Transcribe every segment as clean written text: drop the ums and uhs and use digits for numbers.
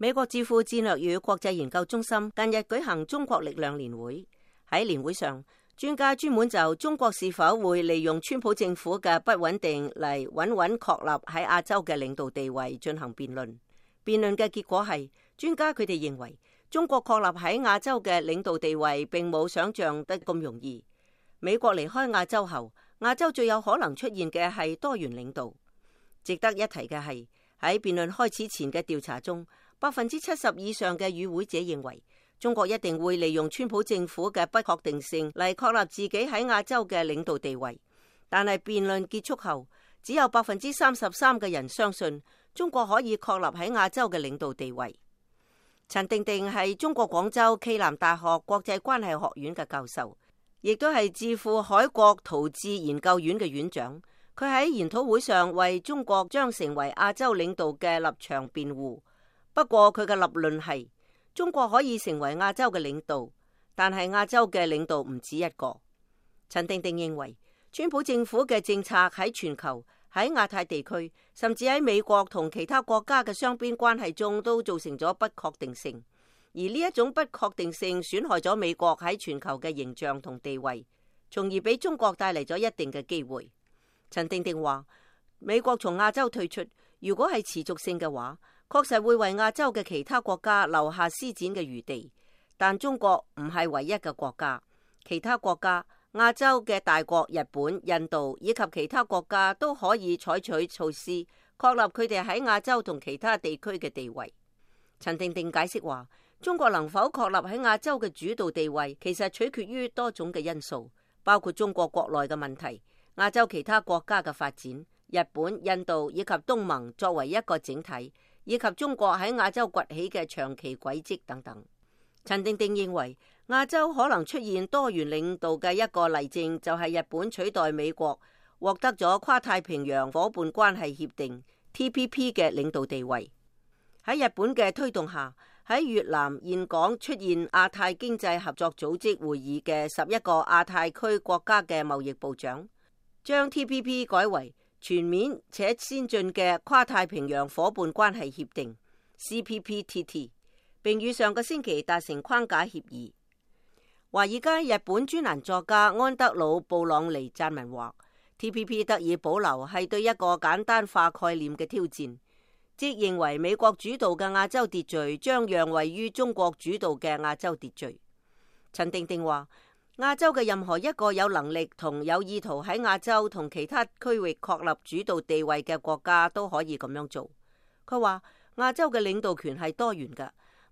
美國智庫戰略與國際研究中心近日舉行中國力量年會，喺年會上，專家專門就中國是否會利用川普政府嘅不穩定嚟穩穩確立喺亞洲嘅領導地位進行辯論。辯論嘅結果係，專家佢哋認為中國確立喺亞洲嘅領導地位並冇想象得咁容易。美國離開亞洲後，亞洲最有可能出現嘅係多元領導。值得一提嘅係，喺辯論開始前嘅調查中，70%以上嘅與會者認為中國一定會利用川普政府嘅不確定性嚟確立自己喺亞洲嘅領導地位。但係辯論結束後，只有33%嘅人相信中國可以確立喺亞洲嘅領導地位。陳定定係中國廣州暨南大學國際關係學院嘅教授，亦都係智庫海國陶治研究院嘅院長。佢喺研討會上為中國將成為亞洲領導嘅立場辯護。不過佢嘅立論係，中國可以成為亞洲嘅領導，但係亞洲嘅領導唔止一個。陳定定認為，川普政府嘅政策喺全球、喺亞太地區，甚至喺美國同其他國家嘅雙邊關係中都造成咗不確定性，而呢一種不確定性損害咗美國喺全球嘅形象同地位，從而俾中國帶嚟咗一定嘅機會。陳定定話，美國從亞洲退出，如果係持續性嘅話，確實會為亞洲嘅其他國家留下施展嘅餘地。但中國唔係唯一嘅國家，其他國家、亞洲嘅大國日本、印度以及其他國家都可以採取措施，確立佢哋喺亞洲同其他地區嘅地位。陳定定解釋話，中國能否確立喺亞洲嘅主導地位，其實取決於多種嘅因素，包括中國國內嘅問題、亞洲其他國家嘅發展、日本、印度以及東盟作為一個整體，以及中國喺亞洲崛起嘅長期軌跡等等。陳定定認為，亞洲可能出現多元領導嘅一個例證，就係日本取代美國獲得咗跨太平洋夥伴關係協定 TPP 嘅領導地位。喺日本嘅推動下，喺越南峴港出現亞太經濟合作組織會議嘅11個亞太區國家嘅貿易部長，將 TPP 改為全面且先進嘅跨太平洋夥伴關係協定 CPTPP， 並於上個星期達成框架協議。華爾街日本專欄作家安德魯布朗尼撰文話， TPP 得以保留係對一個簡單化概念嘅挑戰，即認為美國主導嘅亞洲秩序將讓位於中國主導嘅亞洲秩序。陳定定話，亞洲嘅任何一個有能力同有意圖喺亞洲同其他區域確立主導地位嘅國家都可以咁樣做。佢話，亞洲嘅領導權係多元嘅，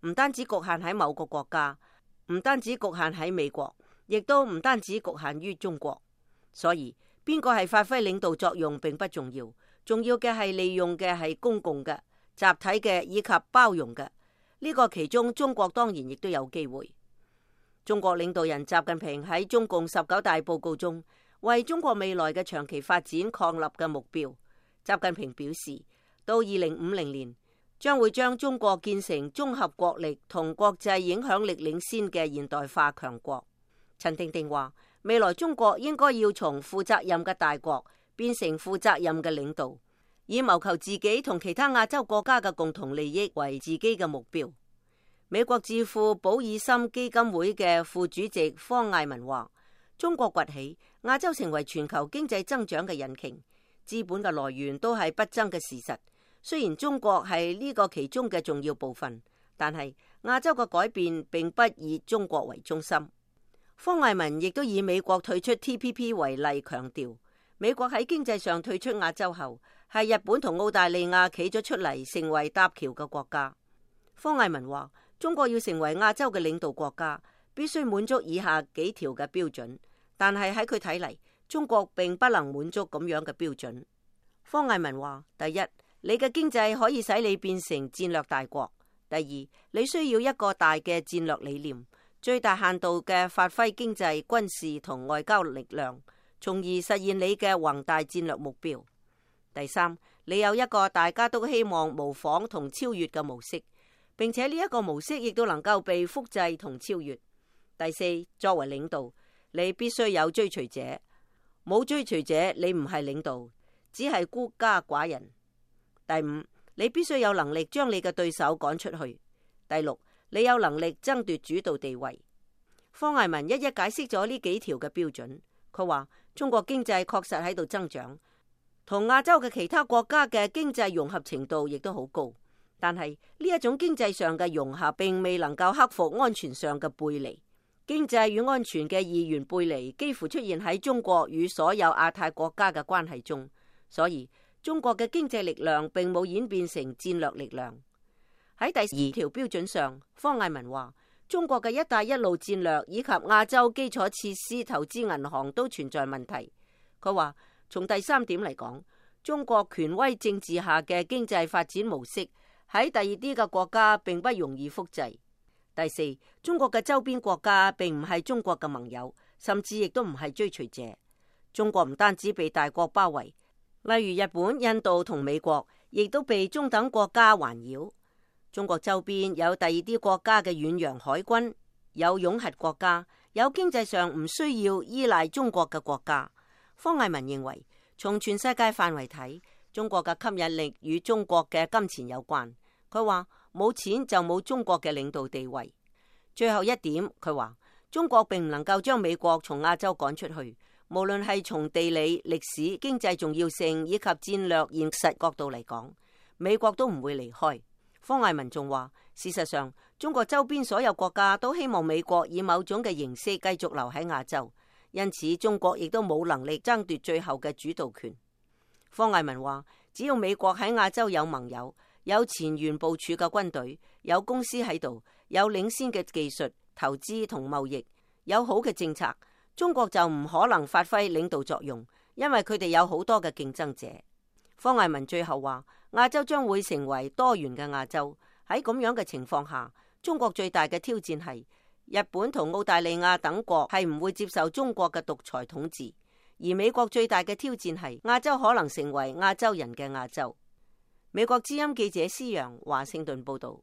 唔單止局限喺某個國家，唔單止局限喺美國，亦都唔單止局限於中國。所以邊個係發揮領導作用並不重要，重要嘅係利用嘅係公共嘅、集體嘅以及包容嘅。呢個其中中國當然亦都有機會。中國領導人習近平喺中共19大報告中為中國未來嘅長期發展確立嘅目標。習近平表示，到2050年將會將中國建成綜合國力同國際影響力領先嘅現代化強國。陳定定話，未來中國應該要從負責任嘅大國變成負責任嘅領導，以謀求自己同其他亞洲國家嘅共同利益為自己嘅目標。美國智庫保爾森基金會嘅副主席方艾文話，中國崛起，亞洲成為全球經濟增長嘅引擎，資本嘅來源都係不爭嘅事實。雖然中國係呢個其中嘅重要部分，但係亞洲嘅改變並不以中國為中心。方艾文亦都以美國退出 TPP 為例，強調美國喺經濟上退出亞洲後，係日本同澳大利亞企咗出嚟成為搭橋嘅國家。方艾文話，中國要成為亞洲嘅領導國家，必須滿足以下幾條嘅標準，但係喺佢睇嚟，中國並不能滿足咁樣嘅標準。方艾文話，第一，你嘅經濟可以使你變成戰略大國；第二，你需要一個大嘅戰略理念，最大限度嘅發揮經濟、軍事同外交力量，從而實現你嘅宏大戰略目標；第三，你有一個大家都希望模仿同超越嘅模式，並且呢一個模式亦都能夠被複製同超越。第四，作為領導，你必須有追隨者，冇追隨者你唔係領導，只係孤家寡人。第五，你必須有能力將你嘅對手趕出去。第六，你有能力爭奪主導地位。方毅文一一解釋咗呢幾條嘅標準。佢話中國經濟確實喺度增長，同亞洲嘅其他國家嘅經濟融合程度亦都好高，但係呢一種經濟上嘅融合並未能夠克服安全上嘅背離。經濟與安全嘅二元背離幾乎出現喺中國與所有亞太國家嘅關係中，所以中國嘅經濟力量並冇演變成戰略力量。喺第二條標準上，方毅文話中國嘅一帶一路戰略以及亞洲基礎設施投資銀行都存在問題。佢話從第三點嚟講，中國權威政治下嘅經濟發展模式喺第二啲嘅國家並不容易複製。第四，中國嘅周邊國家並唔係中國嘅盟友，甚至亦都唔係追隨者。中國唔單止被大國包圍，例如日本、印度同美國，亦都被中等國家環繞。中國周邊有第二啲國家嘅遠洋海軍，有擁核國家，有經濟上唔需要依賴中國嘅國家。方毅文認為，從全世界範圍睇，中國嘅吸引力與中國嘅金錢有關。佢話冇錢就冇中國嘅領導地位。最後一點，佢話中國並唔能夠將美國從亞洲趕出去，無論係從地理、歷史、經濟重要性以及戰略現實角度嚟講，美國都唔會離開。方毅文仲話，事實上，中國周邊所有國家都希望美國以某種嘅形式繼續留喺亞洲，因此中國亦都冇能力爭奪最後嘅主導權。方毅文話，只要美國喺亞洲有盟友，有前沿部署嘅軍隊，有公司喺度，有領先嘅技術、投資同貿易，有好嘅政策，中國就唔可能發揮領導作用，因為佢哋有好多嘅競爭者。方毅文最後話，亞洲將會成為多元嘅亞洲。喺咁樣嘅情況下，中國最大嘅挑戰係日本同澳大利亞等國係唔會接受中國嘅獨裁統治，而美國最大嘅挑戰係亞洲可能成為亞洲人嘅亞洲。美國之音記者施洋華盛頓報道。